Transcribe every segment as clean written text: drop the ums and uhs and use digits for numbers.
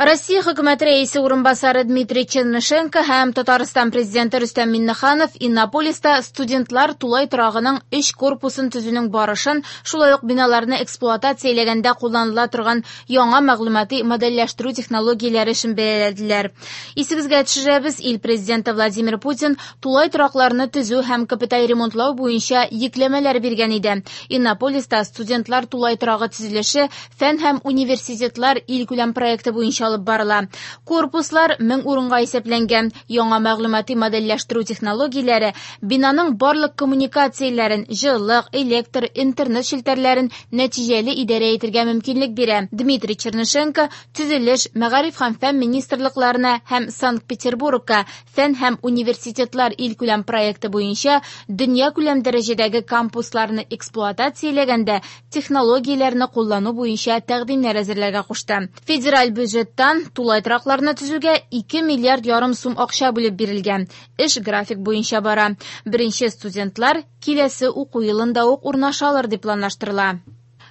Россия хөкүмәте рәисе урынбасары Дмитрий Чернышенко һәм Татарстан президенты Рөстәм Миңнеханов Иннополиста студентлар тулай торагының өч корпусын төзүнең барышын, шулай ук биналарны эксплуатацияләгәндә кулланыла торган яңа мәгълүмати модельләштерү технологияләре эшен бәяләделәр. Исегезгә төшерәбез, ил президенты Владимир Путин тулай торакларны төзү һәм капиталь ремонтлау буенча йөкләмәләр биргән иде. Иннополиста студентлар тулай торагы төзелеше Фән һәм университетлар илкүләм проекты буенча алып барыла. Корпуслар 1000 урынга исәпләнгән. Яңа мәгълүмати модельләштерү технологияләре бинаның барлык коммуникацияләрен, җылылык, электр, интернет челтәрләрен нәтиҗәле идарә итергә мөмкинлек бирә. Дмитрий Чернышенко Төзелеш, Мәгариф һәм фән министрлыкларына һәм Санкт-Петербургка Фән һәм университетлар илкүләм проекты буенча дөньякүләм дәрәҗәдәге кампусларны эксплуатацияләгәндә технологияләрне куллану буенча тәкъдимнәр әзерләргә кушты. Федераль бюджеттан тулай торакларны төзүгә 2 миллиард ярым сум акча бүлеп бирелгән. Эш график буенча бара. Беренче студентлар киләсе уку елында ук урнаша алыр дип планлаштырыла.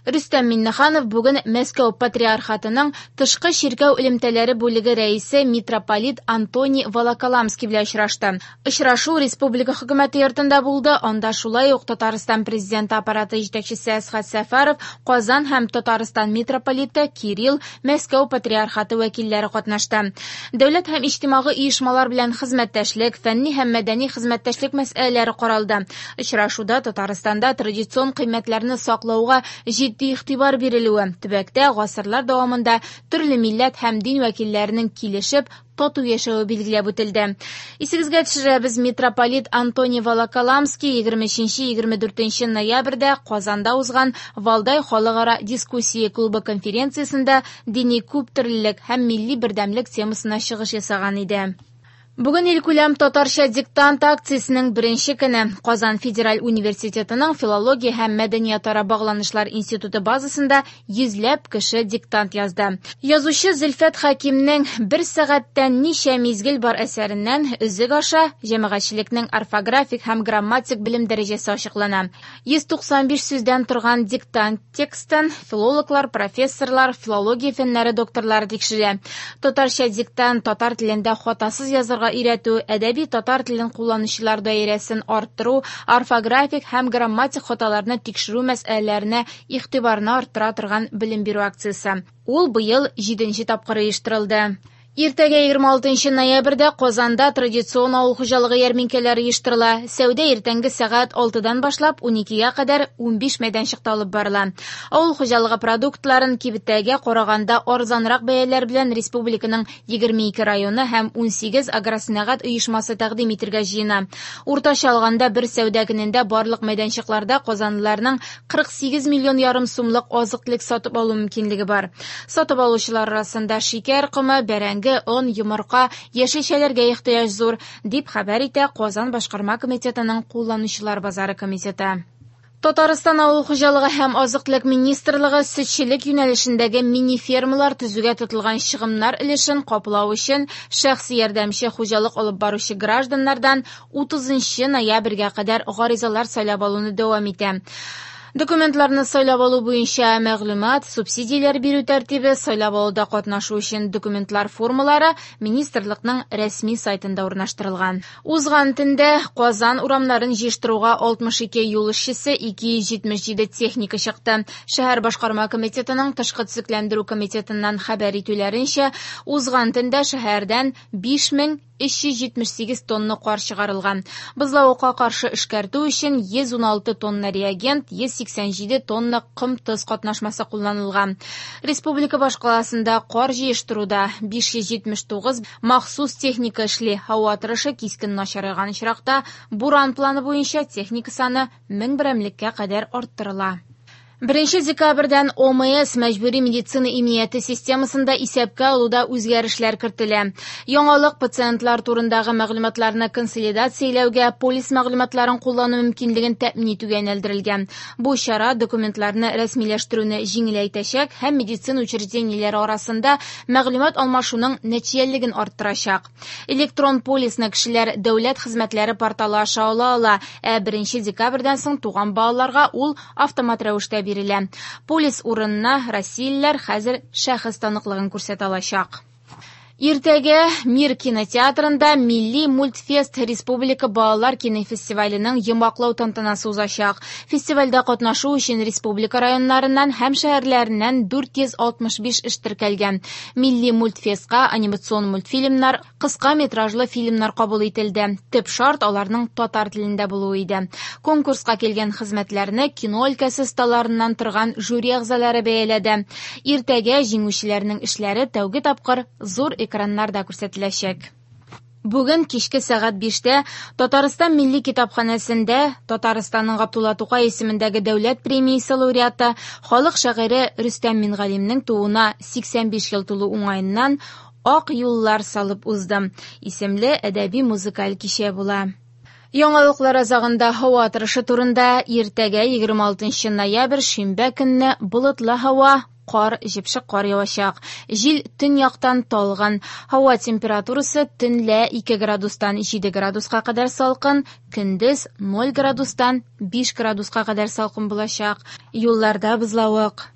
Рөстәм Миңнеханов бүген Мәскәү Патриархатының тышкы чиркәү элемтәләре бүлеге рәисе митрополит Антоний Волоколамский белән очрашты. Очрашу республика хөкүмәте йортында булды, анда шулай ук Татарстан Президенты аппараты җитәкчесе Әсхәт Сәфәров, Казан һәм Татарстан митрополиты Кирилл, Мәскәү Патриархаты вәкилләре катнашты. Дәүләт һәм иҗтимагый оешмалар белән хезмәттәшлек, фәнни һәм мәдәни хезмәттәшлек мәсьәләләре каралды. Очрашуда Татарстанда традицион кыйммәтләрне саклауга җитди игътибар бирелүе, төбәктә гасырлар дәвамында төрле милләт һәм дин вәкилләренең килешеп, тату яшәве билгеләп үтелде. Исегезгә төшерәбез, митрополит Антоний Волоколамский 23-24 ноябрьдә Казанда узган Валдай халыкара дискуссия клубы конференциясендә дини күптөрлелек һәм милли бердәмлек темасына чыгыш ясаган иде. Бүген илкүләм татарча диктант акциясенең беренче көне. Казан федераль университетының филология һәм мәдәниятара багланышлар институты базасында йөзләп кеше диктант язды. Язучы Зөлфәт Хәкимнең Бер сәгатьтә ничә мизгел бар әсәреннән өзек аша җәмәгатьчелекнең орфографик һәм грамматик белем дәрәҗәсе ачыклана. 195 сүздән торган диктант текстын филологлар, профессорлар, филология фәннәре докторлары тикшерә. Татарча диктант татар телендә хатасыз язарга өйрәтү, әдәби татар телен кулланучылар даирәсен арттыру, орфографик һәм грамматик хаталарны тикшерү мәсьәләләренә игътибарны арттыра торган белем бирү акциясе. Ул быел җиденче тапкыр оештырылды. Иртәгә 26 ноябрьдә Казанда традицион авыл хуҗалыгы ярминкәләре оештырыла. Сәүдә иртәнге сәгать 6-дан башлап 12-гә кадәр 15 мәйданчыкта алып барыла. Авыл хуҗалыгы продуктларын кибеттәгегә караганда арзанрак бәяләр белән республиканың 22 районы һәм 18 агросәнәгать оешмасы тәкъдим итергә җыена. Уртача алганда бер сәүдә көнендә барлык мәйданчыкларда казанлыларның 48 миллион ярым сумлык азык-төлек сатып алу мөмкинлеге бар. Сатып алучылар арасында шикәр комы, бәрәңге, он, йомырка, яшелчәләргә ихтыяҗ зур, дип хәбәр итә Казан башкарма комитетының кулланучылар базары комитеты. Татарстан Авыл хуҗалыгы һәм азык-төлек министрлыгы сөтчелек юнәлешендәге мини-фермалар төзүгә тотылган чыгымнар өлешен каплау өчен шәхси ярдәмче хуҗалык алып баручы гражданнардан 30 ноябрьгә кадәр гаризалар сайлап алуны дәвам итә. Документларны сайлап алу буенча мәгълүмат, субсидияләр бирү тәртибе, сайлап алуда катнашу өчен документлар формалары министрлыкның рәсми сайтында урнаштырылган. Узган төндә Казан урамнарын җыештыруга 62 юл эшчесе, 277 техника чыкты. Шәһәр башкарма комитетының тышкы төзекләндерү комитетыннан хәбәр итүләренчә, узган төндә шәһәрдән 5000 378 тонна кар чыгарылган. Бозлавыкка каршы эшкәртү өчен 116 тонна реагент, 187 тонна ком-тоз катнашмасы кулланылган. Республика башкаласында кар җыештыруда 579 махсус техника эшли. Һава торышы кискен начарайган очракта, буран планы буенча техника саны 1000 берәмлеккә кадәр арттырыла. Беренче декабрьдән ОМС мәҗбүри медицина иминияте системасында исәпкә алуда үзгәрешләр кертелә. Яңалык пациентлар турындагы мәгълүматларны консолидацияләүгә, полис мәгълүматларын куллану мөмкинлеген тәэмин итүгә юнәлдерелгән. Бу чара документларны рәсмиләштерүне җиңеләйтәчәк һәм медицина учреждениеләре арасында мәгълүмат алмашуның нәтиҗәлелеген арттырачак. Электрон полисны кешеләр дәүләт хезмәтләре порталы аша ала ала, ә беренче декабрьдән соң туган балаларга ул автомат рәвештә бирелә. Полис урынына россиялеләр хәзер шәхес таныклыгын күрсәтә алачак. Иртәгә Мир кинотеатрында Милли мультфест республика балалар кинофестиваленең йомгаклау тантанасы узачак. Фестивальдә катнашу өчен республика районнарыннан һәм шәһәрләреннән 465 эш теркәлгән. Милли мультфестка анимацион мультфильмнар, кыска метражлы фильмнар кабул ителде. Төп шарт аларның татар телендә булуы иде. Конкурска килгән хезмәтләрне кино өлкәсе осталарыннан торган жюри әгъзалары бәяләде. Иртәгә җиңүчеләрнең эшләре тәүге тапкыр зур экраннарда күрсәтеләчәк. Бүген кичке сәгать 5-тә Татарстан Милли китапханәсендә Татарстанның Габдулла Тукай исемендәге дәүләт премиясе лауреаты, халык шагыйре Рөстәм Мингалимнең тууына 85 ел тулу уңаеннан Ак юллар салып уздым исемле әдәби музыкаль кичә була. Яңалыклар азагында һава торышы турында. Иртәгә 26 ноябрь шимбә көнне болытлы һава, кар, җепшек кар явачак. Җил төньяктан талгын. Һава температурасы төнлә 2 градустан 7 градуска кадәр салкын, көндез 0 градустан 5 градуска кадәр салкын булачак. Юлларда бозлавык.